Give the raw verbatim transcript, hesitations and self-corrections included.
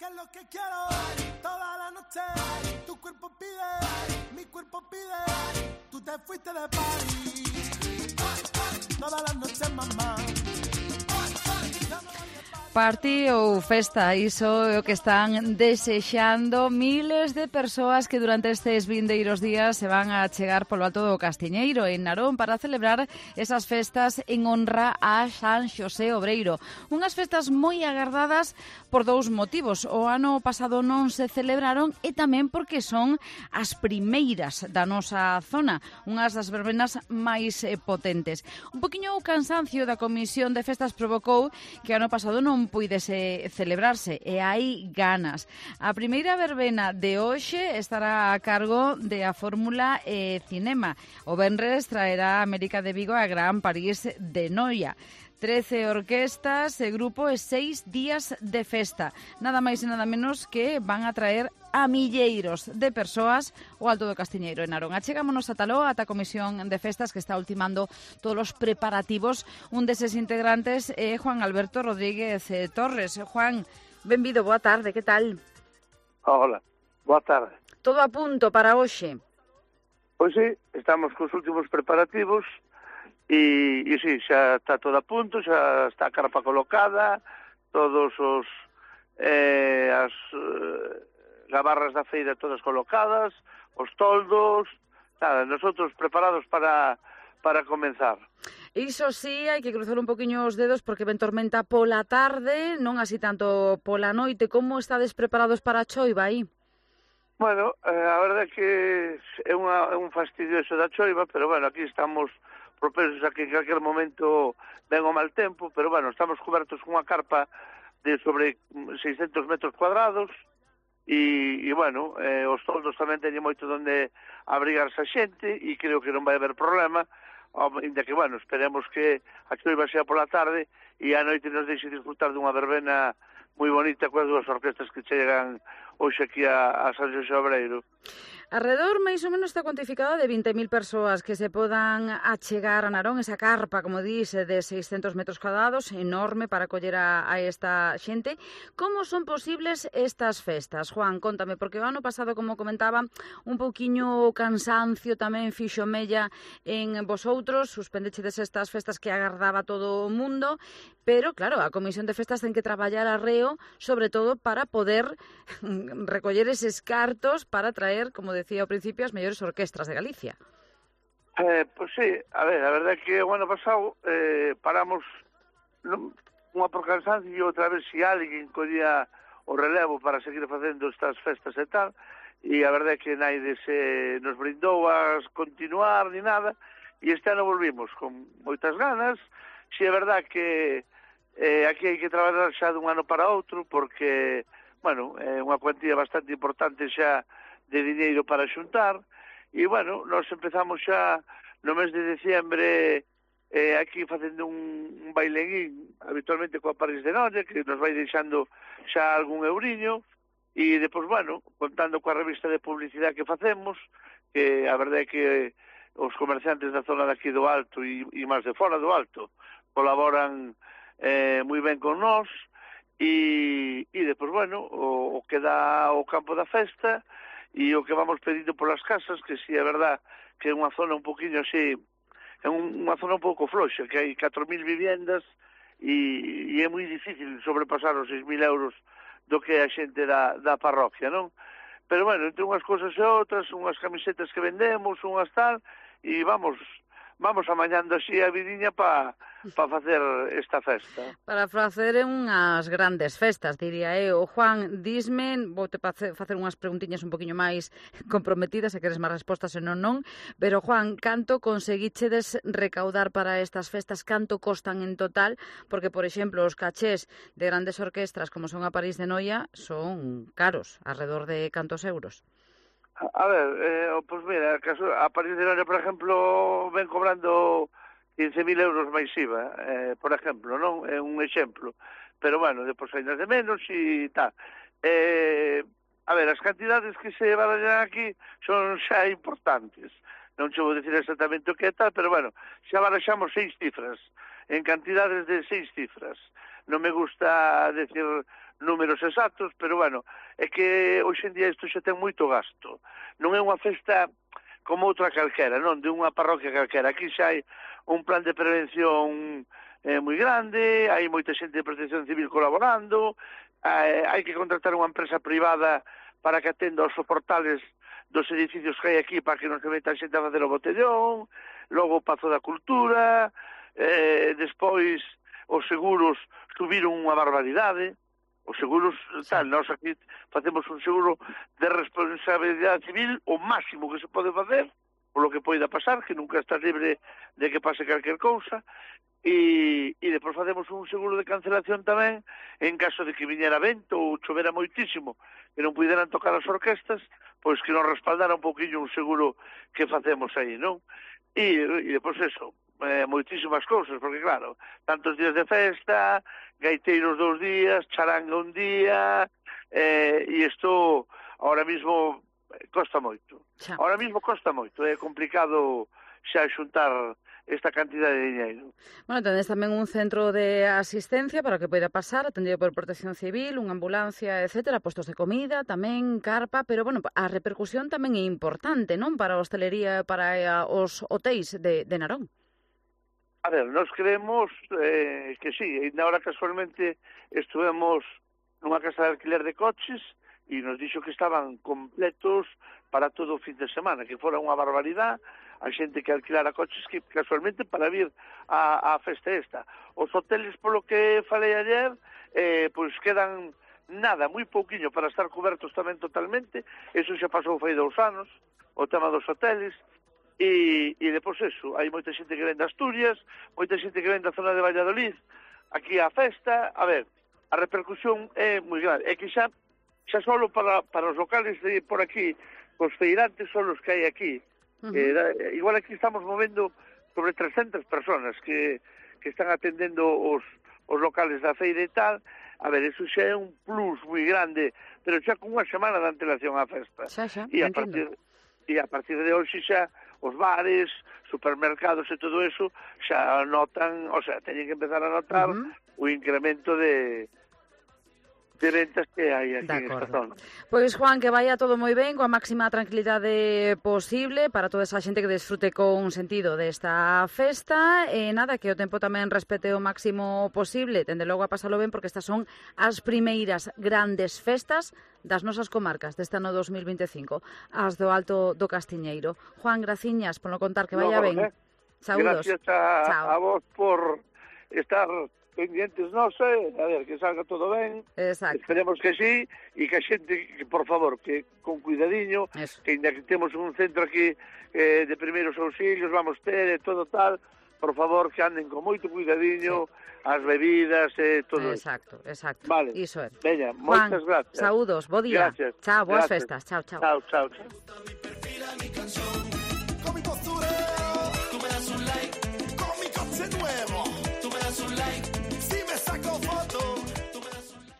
Que es lo que quiero toda la noche. Tu cuerpo pide, mi cuerpo pide. Tú te fuiste de París todas las noches, mamá. Party ou festa, iso é o que están desexando miles de persoas que durante estes vindeiros días se van a chegar polo Alto do Castiñeiro en Narón para celebrar esas festas en honra a San Xosé Obreiro. Unhas festas moi agardadas por dous motivos. O ano pasado non se celebraron e tamén porque son as primeiras da nosa zona, unhas das verbenas máis eh, potentes. Un poquinho o cansancio da Comisión de Festas provocou que ano pasado non puidese celebrarse e hai ganas. A primeira verbena de hoxe estará a cargo de a Fórmula e Cinema. O venres traerá a América de Vigo a Gran París de Noia. trece orquestas e grupo e seis días de festa. Nada máis e nada menos que van a traer a milleiros de persoas o Alto do Castiñeiro en Narón. Achegámonos a Taló, ata a Comisión de Festas que está ultimando todos os preparativos. Un deses integrantes é Juan Alberto Rodríguez eh, Torres. Juan, benvido, boa tarde, que tal? Hola, boa tarde. Todo a punto para hoxe? Pois sí, estamos cos últimos preparativos e, e sí, xa está todo a punto, xa está a carpa colocada, todos os eh, as eh, gabarras da feira todas colocadas, os toldos, nada, nosotros preparados para para comenzar. Iso sí, hai que cruzar un poquinho os dedos porque ven tormenta pola tarde, non así tanto pola noite. Como estades preparados para a choiva aí? Bueno, eh, a verdade é que é, unha, é un fastidio eso da choiva, pero bueno, aquí estamos propensos a que en calquer momento ven o mal tempo, pero bueno, estamos cobertos con unha carpa de sobre seiscentos metros cuadrados e, e bueno, eh, os toldos tamén teñen moito donde abrigarse a xente e creo que non vai haber problema, ainda que, bueno, esperemos que a choiva sea pola tarde e a noite nos deixe disfrutar dunha verbena moi bonita coas dúas orquestas que chegan hoxe aquí a, a San Xosé Obreiro. Alrededor, máis ou menos, está cuantificada de vinte mil persoas que se podan achegar a Narón, esa carpa, como dice, de seiscentos metros cuadrados, enorme para coller a, a esta xente. Como son posibles estas festas? Juan, contame, porque o ano pasado, como comentaba, un pouquiño cansancio tamén fixo mella en vosoutros, suspendechedes estas festas que agardaba todo o mundo, pero, claro, a Comisión de Festas ten que traballar arreo, sobre todo para poder recoller eses cartos para traer, como decía ao principio, as mellores orquestras de Galicia. Eh, pois sí, a ver, a verdade é que o ano pasado eh, paramos non, unha por cansancio e outra vez se alguén collía o relevo para seguir facendo estas festas e tal, e a verdade é que naide se nos brindou a continuar ni nada, e este ano volvimos con moitas ganas. Si é verdade que eh, aquí hai que traballar xa dun ano para outro, porque, bueno, é unha cuantía bastante importante xa de diñeiro para xuntar, e, bueno, nós empezamos xa no mes de diciembre eh, aquí facendo un, un baileguín, habitualmente coa París de Noia, que nos vai deixando xa algún euriño, e depois, bueno, contando coa revista de publicidade que facemos, que a verdade é que os comerciantes da zona daqui do Alto e, e máis de fora do Alto colaboran eh, moi ben con nós, e, e depois, bueno, o, o que dá o campo da festa e o que vamos pedindo polas casas, que si é verdad que é unha zona un poquinho así, é un, unha zona un pouco floxa, que hai catro mil viviendas e, e é moi difícil sobrepasar os seis mil euros do que a xente da, da parroquia, non? Pero, bueno, entre unhas cousas e outras, unhas camisetas que vendemos, unhas tal, e vamos vamos amañando así a vidiña para pa facer esta festa. Para facer unhas grandes festas, diría eu. Juan, disme, vou te facer unhas preguntiñas un poquinho máis comprometidas, se queres máis respostas e non non, pero, Juan, canto conseguichedes recaudar para estas festas? Canto costan en total? Porque, por exemplo, os cachés de grandes orquestras como son a París de Noia son caros, alrededor de cantos euros? A ver, eh, pois mira, a París de Noia, por exemplo, ven cobrando quince mil euros máis I V A, eh, por exemplo, non? É un exemplo. Pero, bueno, depois hai de menos e tal. Eh, a ver, as cantidades que se barallan aquí son xa importantes. Non che vou dicir exactamente o que é tal, pero, bueno, xa baraxamos seis cifras. en cantidades de seis cifras. Non me gusta decir números exactos, pero bueno, é que hoxe en día isto xa ten moito gasto. Non é unha festa como outra calquera, non? De unha parroquia calquera. Aquí xa hai un plan de prevención eh, moi grande, hai moita xente de protección civil colaborando, eh, hai que contratar unha empresa privada para que atenda os soportales dos edificios que hai aquí para que non se meta a xente a facer o botellón, logo o Pazo da Cultura, eh, despois os seguros subiron unha barbaridade, os seguros, tal, nós aquí facemos un seguro de responsabilidade civil o máximo que se pode facer, por lo que poida pasar, que nunca está libre de que pase calquer cousa, e, e depois facemos un seguro de cancelación tamén, en caso de que viñera vento ou chovera moitísimo, que non puderan tocar as orquestas, pois que nos respaldara un pouquinho un seguro que facemos aí, non? E, e depois eso, eh, moitísimas cousas, porque claro, tantos días de festa, gaiteiros dous días, charanga un día, eh, e isto ahora mismo costa moito. Xa. Ahora mismo costa moito, é complicado xa xuntar esta cantidad de diñeiro. Bueno, tenéis tamén un centro de asistencia para que poida pasar, atendido por Protección Civil, unha ambulancia, etcétera, postos de comida, tamén carpa, pero, bueno, a repercusión tamén é importante, non? Para a hostelería, para os hotéis de, de Narón. A ver, nós creemos eh, que sí, e agora casualmente estuvemos nunha casa de alquiler de coches e nos dixo que estaban completos para todo o fin de semana, que fora unha barbaridade a xente que alquilara coches que casualmente para vir a, a festa esta. Os hoteles, polo que falei ayer, eh, pois quedan nada, moi pouquiño para estar cobertos tamén totalmente, eso xa pasou fai dous anos, o tema dos hoteles. E, e depois eso, hai moita xente que ven de Asturias, moita xente que ven da zona de Valladolid, aquí a festa, a ver, a repercusión é moi grande, é que xa, xa solo para, para os locales de por aquí, os feirantes son os que hai aquí, uh -huh. eh, igual aquí estamos movendo sobre trescentas personas que, que están atendendo os, os locales da feira e tal, a ver, eso xa é un plus moi grande, pero xa con unha semana de antelación á festa. Xa, xa, e a partir, e a partir de hoxe xa os bares, supermercados e todo eso xa notan, o sea, teñen que empezar a notar uh -huh. o incremento de de ventas que hai aquí en esta zona. Pois, Juan, que vaya todo moi ben, coa máxima tranquilidade posible para toda esa xente que desfrute con sentido desta festa, e nada, que o tempo tamén respete o máximo posible, tende logo a pasalo ben, porque estas son as primeiras grandes festas das nosas comarcas deste ano dos mil vinte e cinco, as do Alto do Castiñeiro. Juan, graciñas por non contar, que vaya no, ben. Eh? Saúdos. Gracias a, a vos por estar pendientes, non sei, a ver, que salga todo ben. Exacto. Esperemos que sí, e que a xente, que, por favor, que con cuidadiño, eso. Que ainda que temos un centro aquí eh, de primeiros auxilios, vamos ter e todo tal, por favor, que anden con moito cuidadiño, sí. As bebidas e eh, todo exacto, eso. Exacto, vale. Iso é. Veña, moitas gracias. Saúdos, bo día. Gracias. Chao, boas gracias. festas. Chao, chao. Chao, chao, chao.